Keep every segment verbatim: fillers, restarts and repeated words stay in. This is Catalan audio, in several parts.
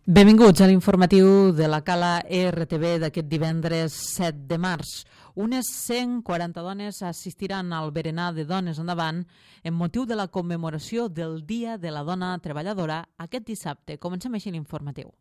Benvinguts a l'informatiu de la Cala R T V d'aquest divendres set de març. Unes cent quaranta dones assistiran al berenar de Dones Endavant en motiu de la commemoració del Dia de la Dona Treballadora aquest dissabte. Comencem així l'informatiu.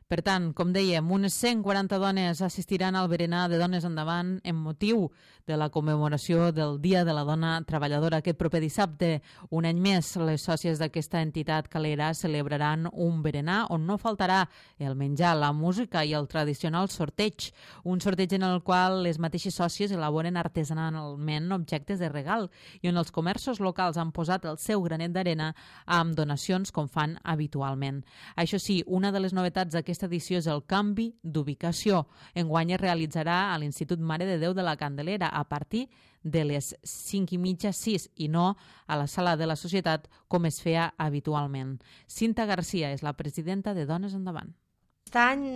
Per tant, com dèiem, unes cent quaranta dones assistiran al berenar de Dones Endavant en motiu de la commemoració del Dia de la Dona Treballadora aquest proper dissabte. Un any més, les sòcies d'aquesta entitat calera celebraran un berenar on no faltarà el menjar, la música i el tradicional sorteig. Un sorteig en el qual les mateixes sòcies elaboren artesanalment objectes de regal i on els comerços locals han posat el seu granet d'arena amb donacions com fan habitualment. Això sí, una de les novetats d'aquesta Aquesta edició és el canvi d'ubicació. Enguany es realitzarà a l'Institut Mare de Déu de la Candelera a partir de les cinc i mitja, sis, i no a la Sala de la Societat com es feia habitualment. Cinta Garcia és la presidenta de Dones Endavant. Aquest any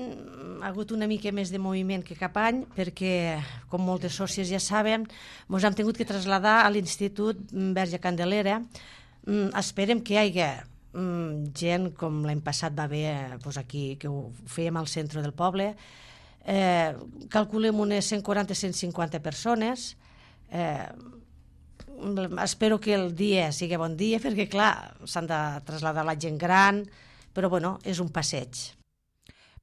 ha hagut una mica més de moviment que cap any perquè, com moltes sòcies ja saben, ens hem tingut que traslladar a l'Institut Verge Candelera. Esperem que hi hagi Mm, gent com l'any passat va haver doncs aquí, que ho fèiem al centre del poble. Eh, calculem unes cent quaranta a cent cinquanta persones. Eh, espero que el dia sigui bon dia, perquè clar, s'han de traslladar la gent gran, però bueno, és un passeig.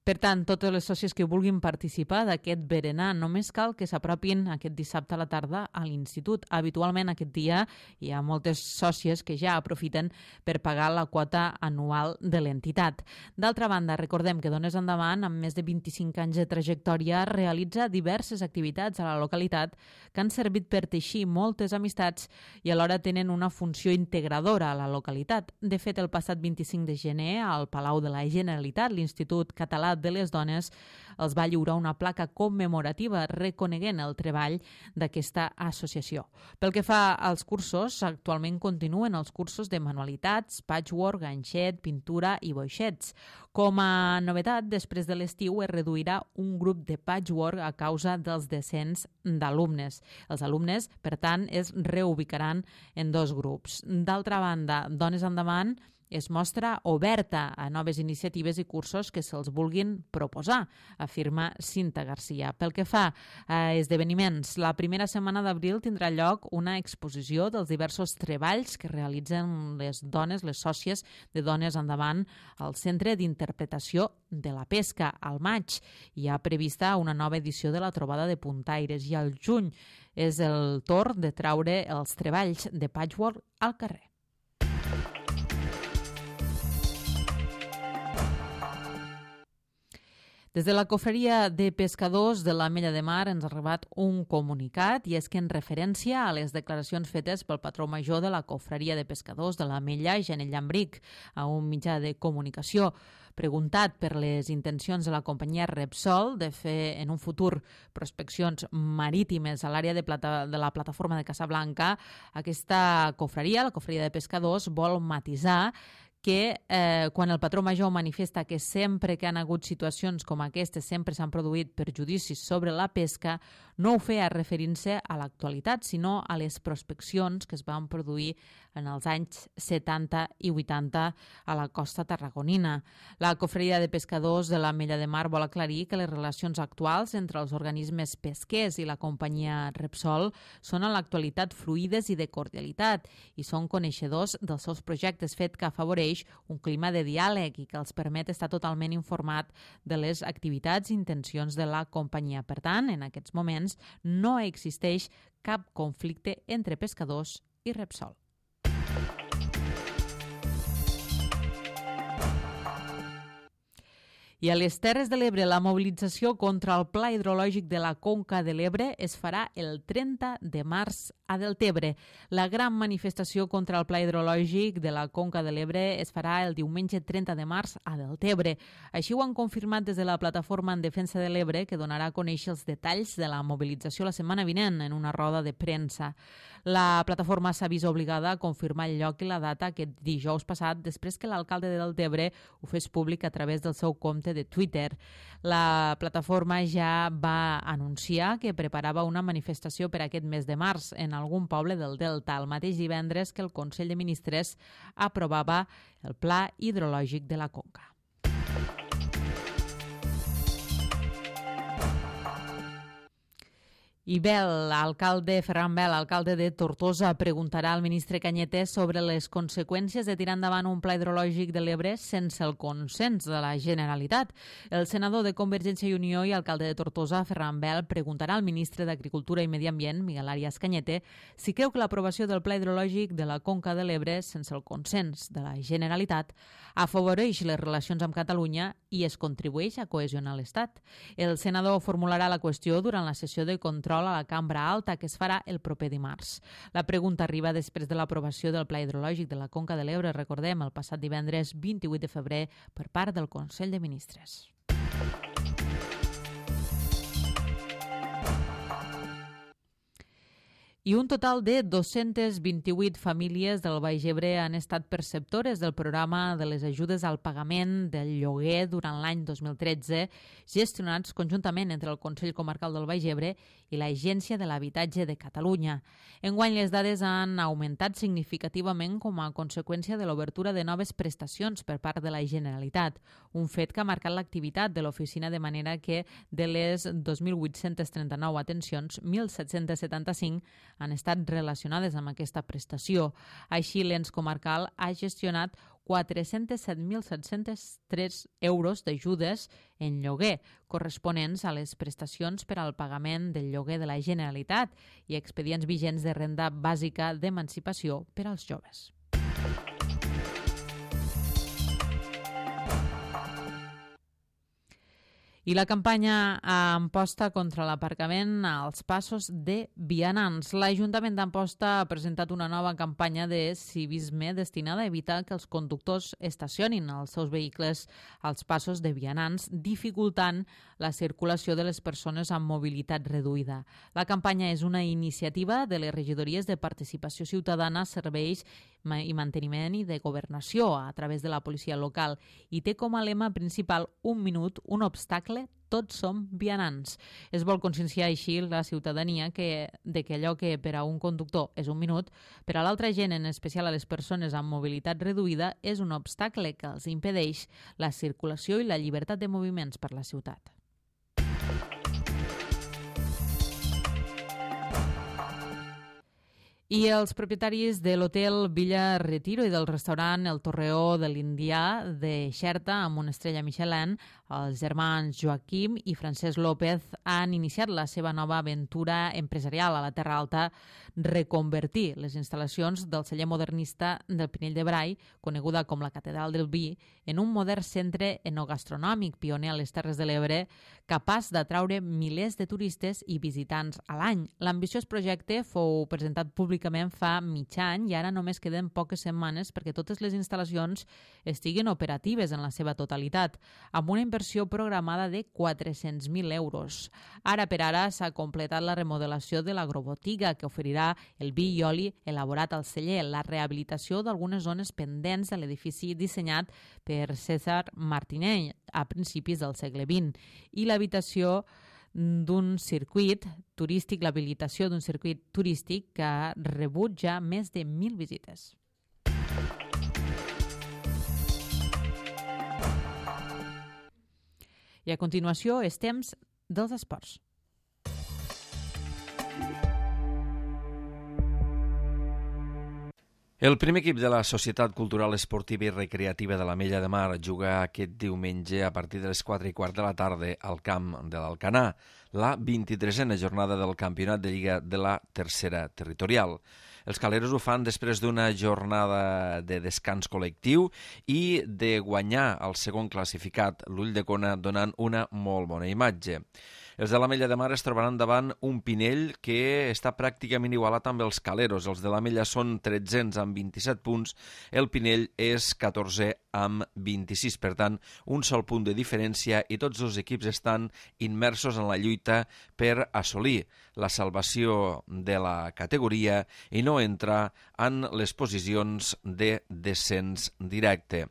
Per tant, totes les sòcies que vulguin participar d'aquest berenar només cal que s'apropin aquest dissabte a la tarda a l'institut. Habitualment aquest dia hi ha moltes sòcies que ja aprofiten per pagar la quota anual de l'entitat. D'altra banda, recordem que Dones Endavant, amb més de vint-i-cinc anys de trajectòria, realitza diverses activitats a la localitat que han servit per teixir moltes amistats i alhora tenen una funció integradora a la localitat. De fet, el passat vint-i-cinc de gener, al Palau de la Generalitat, l'Institut Català de les Dones els va lliurar una placa commemorativa reconeguent el treball d'aquesta associació. Pel que fa als cursos, actualment continuen els cursos de manualitats, patchwork, ganxet, pintura i boixets. Com a novetat, després de l'estiu es reduirà un grup de patchwork a causa dels descens d'alumnes. Els alumnes, per tant, es reubicaran en dos grups. D'altra banda, Dones Endavant es mostra oberta a noves iniciatives i cursos que se'ls vulguin proposar, afirma Cinta Garcia. Pel que fa a esdeveniments, la primera setmana d'abril tindrà lloc una exposició dels diversos treballs que realitzen les dones, les sòcies de Dones Endavant al Centre d'Interpretació de la Pesca. Al maig hi ha prevista una nova edició de la Trobada de Puntaires i al juny és el torn de traure els treballs de patchwork al carrer. Des de la Cofreria de Pescadors de l'Ametlla de Mar ens ha arribat un comunicat i és que en referència a les declaracions fetes pel patró major de la Cofreria de Pescadors de l'Ametlla, Janel Llambric, a un mitjà de comunicació, preguntat per les intencions de la companyia Repsol de fer en un futur prospeccions marítimes a l'àrea de, plata, de la plataforma de Casablanca, aquesta cofreria, la Cofreria de Pescadors, vol matisar que eh, quan el patró major manifesta que sempre que han hagut situacions com aquestes sempre s'han produït perjudicis sobre la pesca, no ho feia referint-se a l'actualitat, sinó a les prospeccions que es van produir en els anys setanta i vuitanta a la costa tarragonina. La Cofreria de Pescadors de l'Ametlla de Mar vol aclarir que les relacions actuals entre els organismes pesquers i la companyia Repsol són en l'actualitat fluïdes i de cordialitat i són coneixedors dels seus projectes, fet que afavoreix un clima de diàleg i que els permet estar totalment informat de les activitats i intencions de la companyia. Per tant, en aquests moments no existeix cap conflicte entre pescadors i Repsol. I a les Terres de l'Ebre, la mobilització contra el Pla Hidrològic de la Conca de l'Ebre es farà el trenta de març a Deltebre. La gran manifestació contra el Pla Hidrològic de la Conca de l'Ebre es farà el diumenge trenta de març a Deltebre. Així ho han confirmat des de la Plataforma en Defensa de l'Ebre, que donarà a conèixer els detalls de la mobilització la setmana vinent en una roda de premsa. La plataforma s'ha vist obligada a confirmar el lloc i la data aquest dijous passat després que l'alcalde de Deltebre ho fes públic a través del seu compte de Twitter. La plataforma ja va anunciar que preparava una manifestació per aquest mes de març en algun poble del Delta, el mateix divendres que el Consell de Ministres aprovava el Pla Hidrològic de la Conca. I Bel, alcalde, Ferran Bel, alcalde de Tortosa, preguntarà al ministre Cañete sobre les conseqüències de tirar endavant un pla hidrològic de l'Ebre sense el consens de la Generalitat. El senador de Convergència i Unió i alcalde de Tortosa, Ferran Bel, preguntarà al ministre d'Agricultura i Medi Ambient, Miguel Arias Cañete, si creu que l'aprovació del pla hidrològic de la Conca de l'Ebre sense el consens de la Generalitat afavoreix les relacions amb Catalunya i es contribueix a cohesionar l'Estat. El senador formularà la qüestió durant la sessió de control a la Cambra Alta, que es farà el proper dimarts. La pregunta arriba després de l'aprovació del Pla Hidrològic de la Conca de l'Ebre, recordem, el passat divendres vint-i-vuit de febrer per part del Consell de Ministres. I un total de dos-centes vint-i-vuit famílies del Baix Ebre han estat perceptores del programa de les ajudes al pagament del lloguer durant l'any dos mil tretze, gestionats conjuntament entre el Consell Comarcal del Baix Ebre i l'Agència de l'Habitatge de Catalunya. Enguany les dades han augmentat significativament com a conseqüència de l'obertura de noves prestacions per part de la Generalitat, un fet que ha marcat l'activitat de l'oficina de manera que de les dos mil vuit-cents trenta-nou atencions, mil set-cents setanta-cinc han estat relacionades amb aquesta prestació. Així, l'ens comarcal ha gestionat quatre-cents set mil set-cents tres euros d'ajudes en lloguer, corresponents a les prestacions per al pagament del lloguer de la Generalitat i expedients vigents de renda bàsica d'emancipació per als joves. I la campanya Amposta contra l'aparcament als passos de vianants. L'Ajuntament d'Amposta ha presentat una nova campanya de civisme destinada a evitar que els conductors estacionin els seus vehicles als passos de vianants, dificultant la circulació de les persones amb mobilitat reduïda. La campanya és una iniciativa de les regidories de participació ciutadana, serveis i manteniment i de governació a través de la policia local i té com a lema principal un minut, un obstacle, tots som vianants. Es vol conscienciar així la ciutadania que, de que allò que per a un conductor és un minut, per a l'altra gent, en especial a les persones amb mobilitat reduïda, és un obstacle que els impedeix la circulació i la llibertat de moviments per la ciutat. I els propietaris de l'hotel Villa Retiro i del restaurant El Torreó de l'Indià de Xerta, amb una estrella Michelin, els germans Joaquim i Francesc López han iniciat la seva nova aventura empresarial a la Terra Alta, reconvertir les instal·lacions del celler modernista del Pinell de Brai, coneguda com la Catedral del Vi, en un modern centre enogastronòmic pioner a les Terres de l'Ebre, capaç d'atraure milers de turistes i visitants a l'any. L'ambiciós projecte fou presentat públicament fa mig any i ara només queden poques setmanes perquè totes les instal·lacions estiguin operatives en la seva totalitat, amb una inversió programada de quatre-cents mil euros. Ara per ara s'ha completat la remodelació de l'agrobotiga que oferirà el vi i oli elaborat al celler, la rehabilitació d'algunes zones pendents de l'edifici dissenyat per César Martinell a principis del segle vint i l'habitació d'un circuit turístic, l'habilitació d'un circuit turístic que ha rebut ja més de mil visites. I a continuació és temps dels esports. El primer equip de la Societat Cultural Esportiva i Recreativa de l'Ametlla de Mar juga aquest diumenge a partir de les quatre i quart de la tarda al camp de l'Alcanar, la vint-i-tresena jornada del Campionat de Lliga de la Tercera Territorial. Els caleros ho fan després d'una jornada de descans col·lectiu i de guanyar el segon classificat, l'Ull de Cona, donant una molt bona imatge. Els de l'Ametlla de Mar es trobaran davant un Pinell que està pràcticament igualat amb els Caleros. Els de l'Ametlla són tretzens amb vint-i-set punts, el Pinell és catorzè amb vint-i-sis. Per tant, un sol punt de diferència i tots dos equips estan immersos en la lluita per assolir la salvació de la categoria i no entrar en les posicions de descens directe.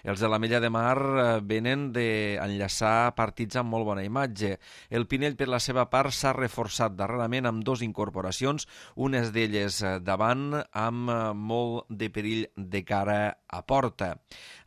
Els de l'Ametlla de Mar venen d'enllaçar partits amb molt bona imatge. El Pinell, per la seva part, s'ha reforçat darrerament amb dues incorporacions, unes d'elles davant amb molt de perill de cara a porta.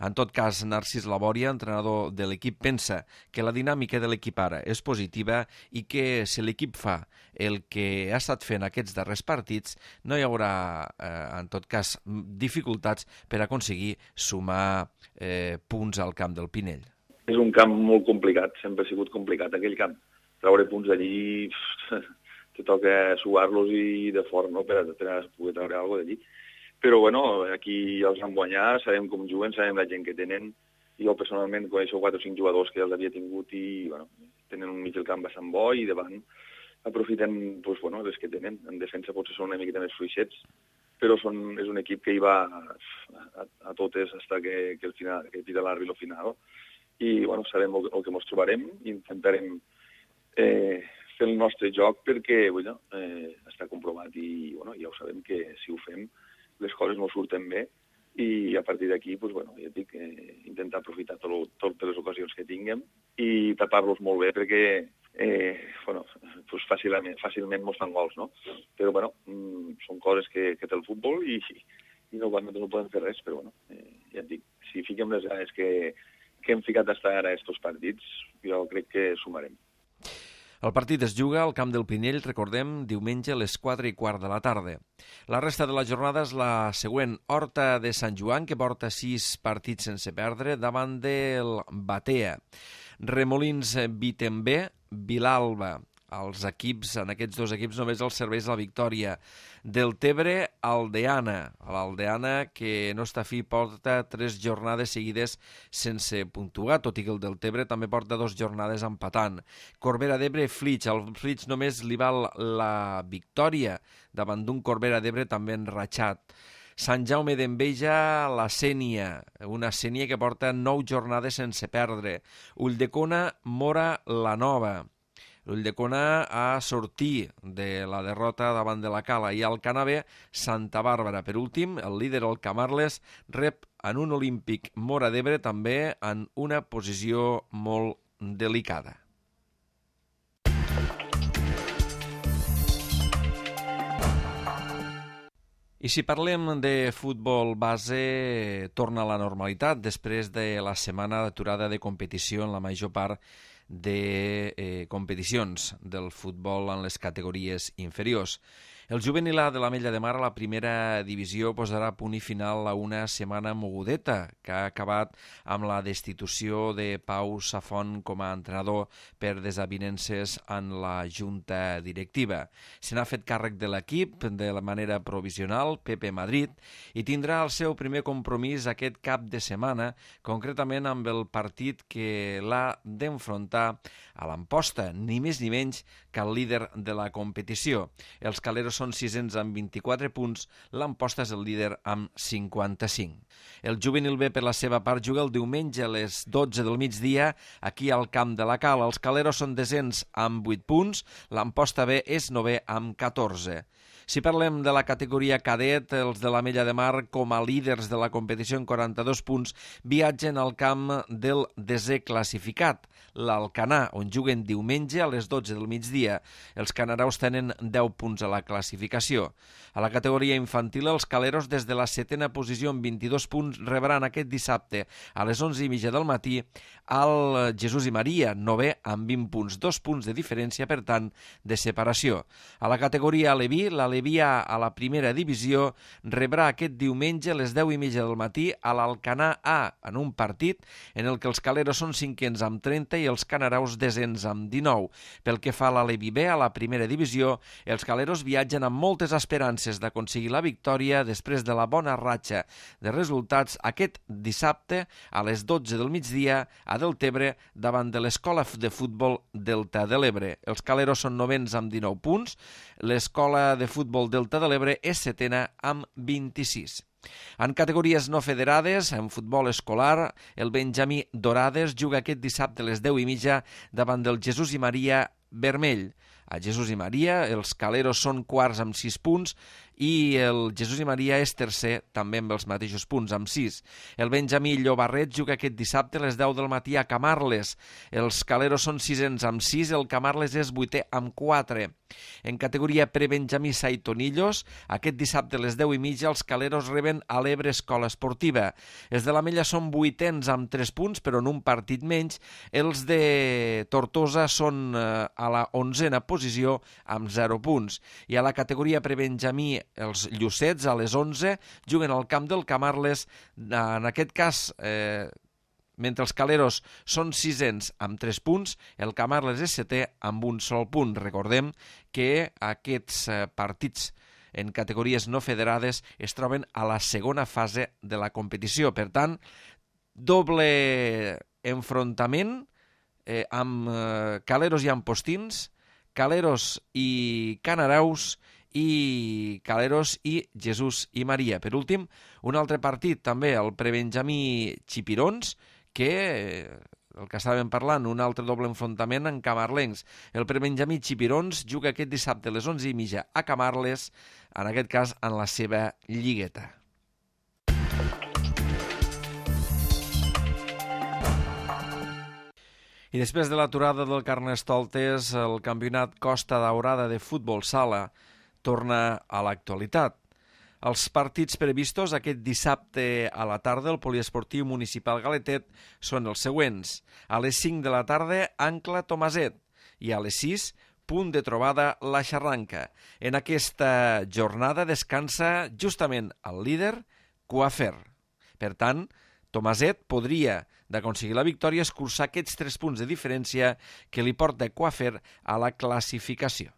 En tot cas, Narcís Labòria, entrenador de l'equip, pensa que la dinàmica de l'equip ara és positiva i que si l'equip fa el que ha estat fent aquests darrers partits, no hi haurà, eh, en tot cas, dificultats per aconseguir sumar eh, punts al camp del Pinell. És un camp molt complicat, sempre ha sigut complicat aquell camp. Treure punts d'allí, te toca suar-los i de fort, no?, per a, per a poder treure alguna cosa d'allí. Però, bueno, aquí els vam guanyar, sabem com juguen, sabem la gent que tenen. Jo, personalment, coneixo quatre o cinc jugadors que els havia tingut i, bueno, tenen un mig del camp bastant bo i davant aprofiten, doncs, bueno, les que tenen. En defensa potser són una miqueta més fluixets, però són, és un equip que hi va a, a, a totes fins que, que, el final, que tira l'àrbitre al final. I, bueno, sabem el, el que ens trobarem i intentarem eh, fer el nostre joc perquè, bueno, eh, està comprovat i, bueno, ja ho sabem que si ho fem les coses no surten bé i a partir d'aquí, doncs, bueno, ja dic, eh, intentar aprofitar tot, totes les ocasions que tinguem i tapar-los molt bé perquè eh, bueno, doncs fàcilment, fàcilment mos fan gols, no? Però, bueno, mm, són coses que, que té el futbol i, i no, no podem fer res, però, bueno, eh, ja et dic, si fiquem les ganes que, que hem ficat fins ara a aquests partits, jo crec que sumarem. El partit es juga al camp del Pinell, recordem, diumenge a les quatre i quart de la tarda. La resta de la jornada és la següent. Horta de Sant Joan, que porta sis partits sense perdre, davant del Batea. Remolins Vitembé, Vilalba. Els equips, en aquests dos equips només els serveix la victòria. Del Tebre, Aldeana. L'Aldeana, que no està fi, porta tres jornades seguides sense puntuar, tot i que el del Tebre també porta dues jornades empatant. Corbera d'Ebre, Flix. Al Flix només li val la victòria davant d'un Corbera d'Ebre també enratxat. Sant Jaume d'Enveja, la Sénia, una Sénia que porta nou jornades sense perdre. Ulldecona, Mora, la Nova. L'Ulldecona a sortir de la derrota davant de la Cala i al Canavè, Santa Bàrbara. Per últim, el líder, el Camarles, rep en un olímpic Mora d'Ebre també en una posició molt delicada. I si parlem de futbol base, torna a la normalitat després de la setmana d'aturada de competició en la major part de eh, competicions del futbol en les categories inferiors. El juvenil A de l'Ametlla de Mar a la primera divisió posarà punt i final a una setmana mogudeta que ha acabat amb la destitució de Pau Safont com a entrenador per desavinences en la junta directiva. Se n'ha fet càrrec de l'equip de la manera provisional Pepe Madrid i tindrà el seu primer compromís aquest cap de setmana, concretament amb el partit que l'ha d'enfrontar a l'Amposta, ni més ni menys que el líder de la competició. Els caleros són sisens amb vint-i-quatre punts, l'Amposta és el líder amb cinquanta-cinc. El juvenil B, per la seva part, juga el diumenge a les dotze del migdia aquí al camp de la Cala. Els caleros són desens amb vuit punts, l'Amposta B és novè amb catorze. Si parlem de la categoria cadet, els de l'Ametlla de Mar, com a líders de la competició en quaranta-dos punts, viatgen al camp del desè classificat, l'Alcanar, on juguen diumenge a les dotze del migdia. Els canaraus tenen deu punts a la classificació. A la categoria infantil, els caleros, des de la setena posició amb vint-i-dos punts, rebran aquest dissabte a les onze i mitja del matí al Jesús i Maria, novè amb vint punts, dos punts de diferència, per tant, de separació. A la categoria Aleví, l'Aleví Alevià a la primera divisió rebrà aquest diumenge a les deu i mitja del matí a l'Alcanar A, en un partit en el que els caleros són cinquens amb trenta i els canaraus desens amb dinou. Pel que fa a l'Alevi B, a la primera divisió, els caleros viatgen amb moltes esperances d'aconseguir la victòria després de la bona ratxa de resultats aquest dissabte a les dotze del migdia a Deltebre davant de l'Escola de Futbol Delta de l'Ebre. Els caleros són novens amb dinou punts, l'Escola de Futbol Delta de l'Ebre és setena amb vint-i-sis. En categories no federades, en futbol escolar, el Benjamí Dorades juga aquest dissabte a les deu i mitja davant del Jesús i Maria Vermell. A Jesús i Maria els caleros són quarts amb sis punts i el Jesús i Maria és tercer també amb els mateixos punts, amb sis. El Benjamí Llobarret juga aquest dissabte a les deu del matí a Camarles. Els caleros són sisens amb sis, el Camarles és vuitè amb quatre. En categoria prebenjamí Saitonillos, aquest dissabte a les deu i mitja els caleros reben a l'Ebre Escola Esportiva. Els de l'Ametlla són vuitens amb tres punts, però en un partit menys. Els de Tortosa són eh, a la onzena posició amb zero punts. I a la categoria prebenjamí els Llucets a les onze juguen al camp del Camarles. En aquest cas, eh, mentre els caleros són sisens amb tres punts, el Camarles és setè amb un sol punt. Recordem que aquests eh, partits en categories no federades es troben a la segona fase de la competició. Per tant, doble enfrontament eh, amb eh, caleros i ampostins, caleros i canaraus i caleros i Jesús i Maria. Per últim, un altre partit també, el prebenjamí Xipirons, que, el que estàvem parlant, un altre doble enfrontament en camarlencs. El prebenjamí Xipirons juga aquest dissabte a les onze i mitja a Camarles, en aquest cas en la seva lligueta. I després de l'aturada del Carnestoltes, el campionat Costa Daurada de futbol sala torna a l'actualitat. Els partits previstos aquest dissabte a la tarda al Poliesportiu Municipal Galetet són els següents. A les cinc de la tarda, Ancla Tomaset, i a les sis, Punt de Trobada La Xarranca. En aquesta jornada descansa justament el líder, Coafer. Per tant, Tomaset podria, d'aconseguir la victòria, escurçar aquests tres punts de diferència que li porta Coafer a la classificació.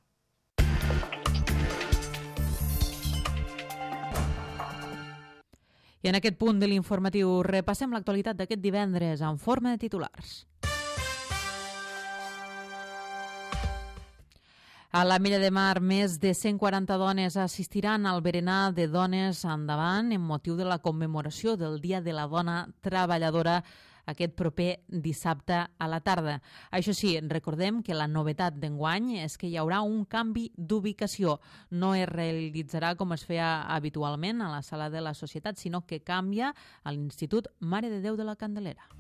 I en aquest punt de l'informatiu repassem l'actualitat d'aquest divendres en forma de titulars. A l'Ametlla de Mar, més de cent quaranta dones assistiran al berenar de Dones Endavant en motiu de la commemoració del Dia de la Dona Treballadora aquest proper dissabte a la tarda. Això sí, recordem que la novetat d'enguany és que hi haurà un canvi d'ubicació. No es realitzarà com es feia habitualment a la Sala de la Societat, sinó que canvia a l'Institut Mare de Déu de la Candelera.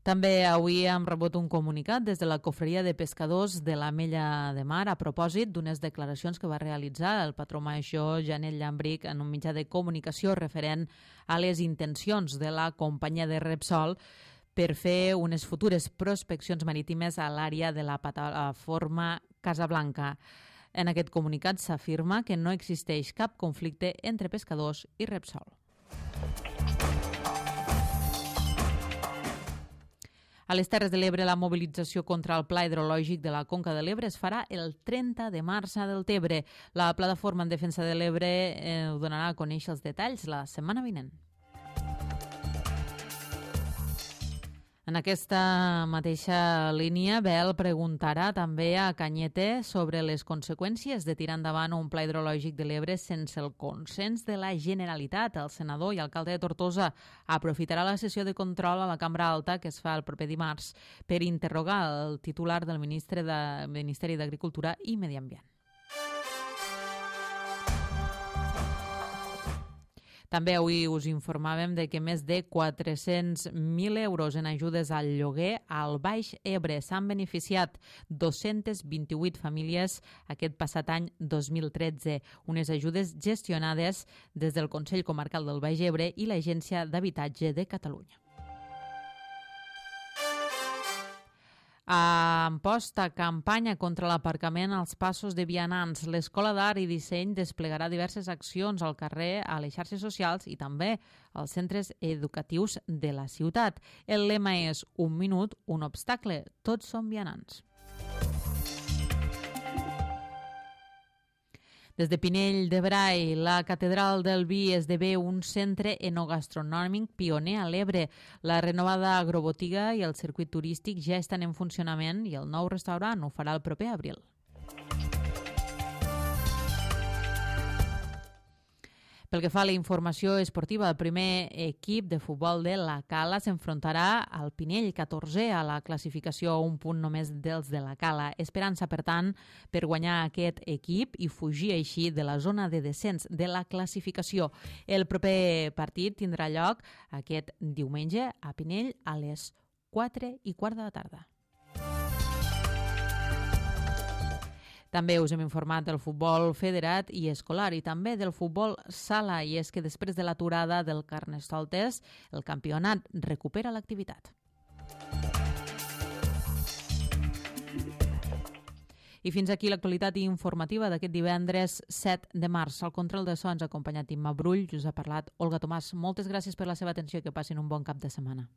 També avui hem rebut un comunicat des de la Cofreria de Pescadors de l'Ametlla de Mar a propòsit d'unes declaracions que va realitzar el patró major Janet Llambric en un mitjà de comunicació referent a les intencions de la companyia de Repsol per fer unes futures prospeccions marítimes a l'àrea de la plataforma Casablanca. En aquest comunicat s'afirma que no existeix cap conflicte entre pescadors i Repsol. A les Terres de l'Ebre, la mobilització contra el Pla Hidrològic de la Conca de l'Ebre es farà el trenta de març a Deltebre. La plataforma en defensa de l'Ebre eh, donarà a conèixer els detalls la setmana vinent. En aquesta mateixa línia, Bel preguntarà també a Cañete sobre les conseqüències de tirar endavant un pla hidrològic de l'Ebre sense el consens de la Generalitat. El senador i alcalde de Tortosa aprofitarà la sessió de control a la Cambra Alta que es fa el proper dimarts per interrogar el titular del Ministre de, Ministeri d'Agricultura i Medi Ambient. També avui us informàvem de que més de quatre-cents mil euros en ajudes al lloguer al Baix Ebre s'han beneficiat dos-centes vint-i-vuit famílies aquest passat any dos mil tretze, unes ajudes gestionades des del Consell Comarcal del Baix Ebre i l'Agència d'Habitatge de Catalunya. A Amposta, campanya contra l'aparcament als passos de vianants. L'Escola d'Art i Disseny desplegarà diverses accions al carrer, a les xarxes socials i també als centres educatius de la ciutat. El lema és un minut, un obstacle. Tots som vianants. Des de Pinell de Brai, la Catedral del Vi esdevé un centre enogastronòmic pioner a l'Ebre. La renovada agrobotiga i el circuit turístic ja estan en funcionament i el nou restaurant ho farà el proper abril. Pel que fa a la informació esportiva, el primer equip de futbol de la Cala s'enfrontarà al Pinell, catorzè a la classificació, a un punt només dels de la Cala. Esperança, per tant, per guanyar aquest equip i fugir així de la zona de descens de la classificació. El proper partit tindrà lloc aquest diumenge a Pinell a les quatre i quart de la tarda. També us hem informat del futbol federat i escolar i també del futbol sala, i és que després de l'aturada del Carnestoltes, el campionat recupera l'activitat. I fins aquí l'actualitat informativa d'aquest divendres set de març. Al control de so ens ha acompanyat Imma Brull, us ha parlat Olga Tomàs. Moltes gràcies per la seva atenció i que passin un bon cap de setmana.